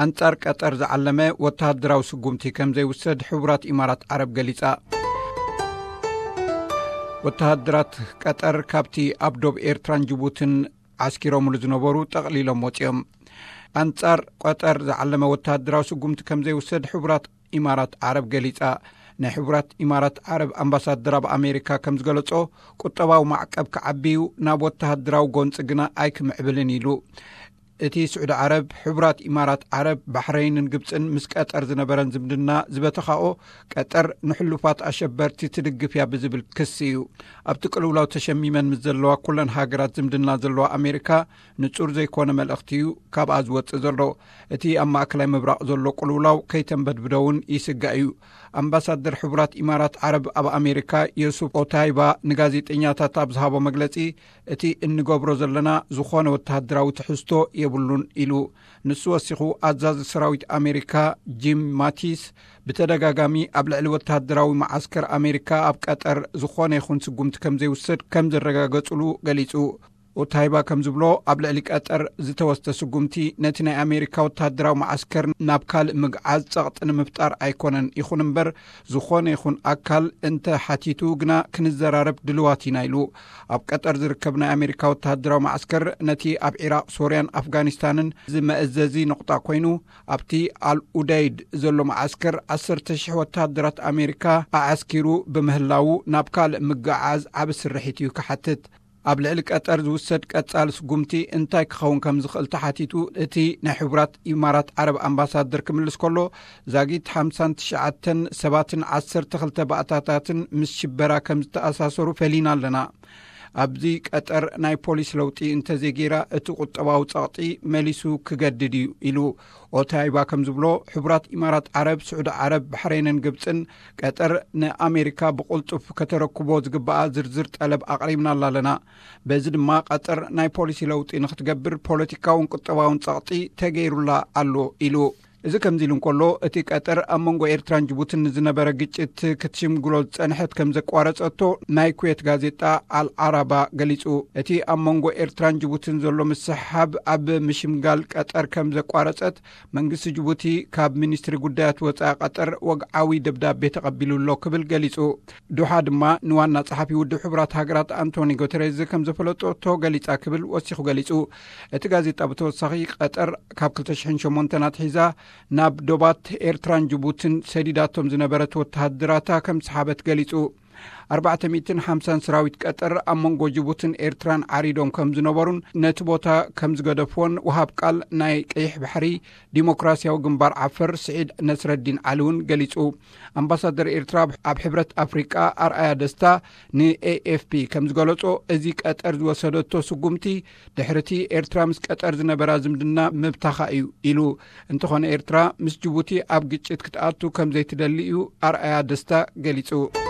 ኣንጻር ቀጠር ዝዓለመ ወተሃደራዊ ስጉምቲ ከም ዘይውሰድ ሕቡራት ኢማራት ዓረብ ገሊጻ። ወተሃደራት ቀጠር ካብቲ ኣብ ዶብ ኤርትራን ጅቡትን ዓስኪሮምሉ ዝነበሩ ጠቕሊሎም ወጺኦም። ኣንጻር ቀጠር ዝዓለመ ወተሃደራዊ ስጉምቲ ከም ዘይውሰድ ሕቡራት ኢማራት ዓረብ ገሊጻ። ናይ ሕቡራት ኢማራት ዓረብ ኣምባሳደር ኣብ ኣሜሪካ ከም ዝገለጾ፣ ቁጠባዊ ማዕቀብ ክዓብዩ ናብ ወተሃደራዊ ጎንጺ ግና ኣይክምዕብልን ኢሉ። እቲ ስዑዲ ዓረብ፣ ሕቡራት ኢማራት ዓረብ፣ ባሕረይንን ግብጽን ምስ ቀጠር ዝነበረን ዝምድና ዝበተኻኦ፣ ቀጠር ንሕሉፋት ኣሸበርቲ ትድግፍ እያ ብዝብል ክሲ እዩ። ኣብቲ ቅልውላው ተሸሚመን ምስ ዘለዋ ኩለን ሃገራት ዝምድና ዘለዋ ኣሜሪካ፣ ንጹር ዘይኮነ መልእኽቲ እዩ ካብኣ ዝወጽእ ዘሎ። እቲ ኣብ ማእከላይ ምብራቕ ዘሎ ቅልውላው ከይተንበድብዶ እውን ይስጋእ እዩ። ኣምባሳደር ሕቡራት ኢማራት ዓረብ ኣብ ኣሜሪካ ዮሱፍ ኦታይባ ንጋዜጠኛታት ኣብ ዝሃቦ መግለጺ፣ እቲ እንገብሮ ዘለና ዝኾነ ወተሃደራዊ ትሕዝቶ የብሉን ኢሉ። ንሱ ወሲኹ፣ ኣዛዚ ሰራዊት ኣሜሪካ ጂም ማቲስ ብተደጋጋሚ ኣብ ልዕሊ ወተሃደራዊ መዓስከር ኣሜሪካ ኣብ ቀጠር ዝኾነ ይኹን ስጉምቲ ከም ዘይውሰድ ከም ዘረጋገጹሉ ገሊጹ። ኦታይባ ከም ዝብሎ፣ ኣብ ልዕሊ ቀጠር ዝተወስደ ስጉምቲ ነቲ ናይ ኣሜሪካ ወተሃደራዊ መዓስከር ናብ ካልእ ምግዓዝ ጸቕጢ ንምፍጣር ኣይኮነን። ይኹን እምበር፣ ዝኾነ ይኹን ኣካል እንተ ሓቲቱ ግና ክንዘራረብ ድልዋት ኢና ኢሉ። ኣብ ቀጠር ዝርከብ ናይ ኣሜሪካ ወተሃደራዊ መዓስከር ነቲ ኣብ ዒራቕ፣ ሶርያን ኣፍጋኒስታንን ዝመእዘዚ ነቑጣ ኮይኑ፣ ኣብቲ ኣል ኡደይድ ዘሎ መዓስከር ዓሰርተ ሽሕ ወተሃደራት ኣሜሪካ ኣዓስኪሩ ብምህላዉ፣ ናብ ካልእ ምግዓዝ ዓቢ ስርሒት እዩ ክሓትት። ኣብ ልዕሊ ቀጠር ዝውሰድ ቀጻሊ ስጉምቲ እንታይ ክኸውን ከም ዝኽእል ተሓቲቱ፣ እቲ ናይ ሕቡራት ኢማራት ዓረብ ኣምባሳደር ክምልስ ከሎ፣ ዛጊት ሓምሳን ትሽዓተን ሰባትን ዓሰርተ ክልተ ባእታታትን ምስ ሽበራ ከም ዝተኣሳሰሩ ፈሊና ኣለና። ኣብዚ ቀጠር ናይ ፖሊስ ለውጢ እንተዘይገይራ፣ እቲ ቁጠባዊ ጸቕጢ መሊሱ ክገድድ እዩ ኢሉ። ኦታይባ ከም ዝብሎ፣ ሕቡራት ኢማራት ዓረብ፣ ስዑዲ ዓረብ፣ ባሕሬንን ግብጽን ቀጠር ንኣሜሪካ ብቕልጡፍ ከተረክቦ ዝግባኣ ዝርዝር ጠለብ ኣቕሪብናላ ኣለና። በዚ ድማ ቀጠር ናይ ፖሊሲ ለውጢ ንክትገብር ፖለቲካውን ቁጠባውን ጸቕጢ ተገይሩላ ኣሎ ኢሉ። እዚ ከምዚ ኢሉ እንከሎ፣ እቲ ቀጠር ኣብ መንጎ ኤርትራን ጅቡትን ንዝነበረ ግጭት ክትሽምግሎ ዝጸንሐት ከም ዘቋረጸቶ ናይ ኩዌት ጋዜጣ ኣልዓራባ ገሊጹ። እቲ ኣብ መንጎ ኤርትራን ጅቡትን ዘሎ ምስሕሓብ ኣብ ምሽምጋል ቀጠር ከም ዘቋረጸት መንግስቲ ጅቡቲ ካብ ሚኒስትሪ ጉዳያት ወጻኢ ቀጠር ወግዓዊ ደብዳቤ ተቐቢሉ ኣሎ ክብል ገሊጹ። ዱሓ ድማ ንዋና ጸሓፊ ውድብ ሕቡራት ሃገራት ኣንቶኒ ጉተሬዝ ከም ዘፈለጠቶ ገሊጻ ክብል ወሲኹ ገሊጹ። እቲ ጋዜጣ ብተወሳኺ፣ ቀጠር ካብ ክልተ ሽሕን ሸሞንተን ኣትሒዛ ናብ ዶባት ኤርትራን ጅቡትን ሰዲዳቶም ዝነበረት ወተሃደራታ ከም ዝሓበት ገሊጹ። ኣርባዕተ ሚእትን ሓምሳን ሰራዊት ቀጠር ኣብ መንጎ ጅቡትን ኤርትራን ዓሪዶም ከም ዝነበሩን ነቲ ቦታ ከም ዝገደፍዎን ወሃብ ቃል ናይ ቀይሕ ባሕሪ ዲሞክራሲያዊ ግንባር ዓፈር ስዒድ ነስረዲን ዓሊ እውን ገሊጹ። ኣምባሳደር ኤርትራ ኣብ ሕብረት ኣፍሪቃ ኣርኣያ ደስታ ንኤኤፍፒ ከም ዝገለጾ፣ እዚ ቀጠር ዝወሰደቶ ስጉምቲ ድሕርቲ ኤርትራ ምስ ቀጠር ዝነበራ ዝምድና ምብታኻ እዩ ኢሉ። እንተኾነ፣ ኤርትራ ምስ ጅቡቲ ኣብ ግጭት ክትኣቱ ከም ዘይትደሊ እዩ ኣርኣያ ደስታ ገሊጹ።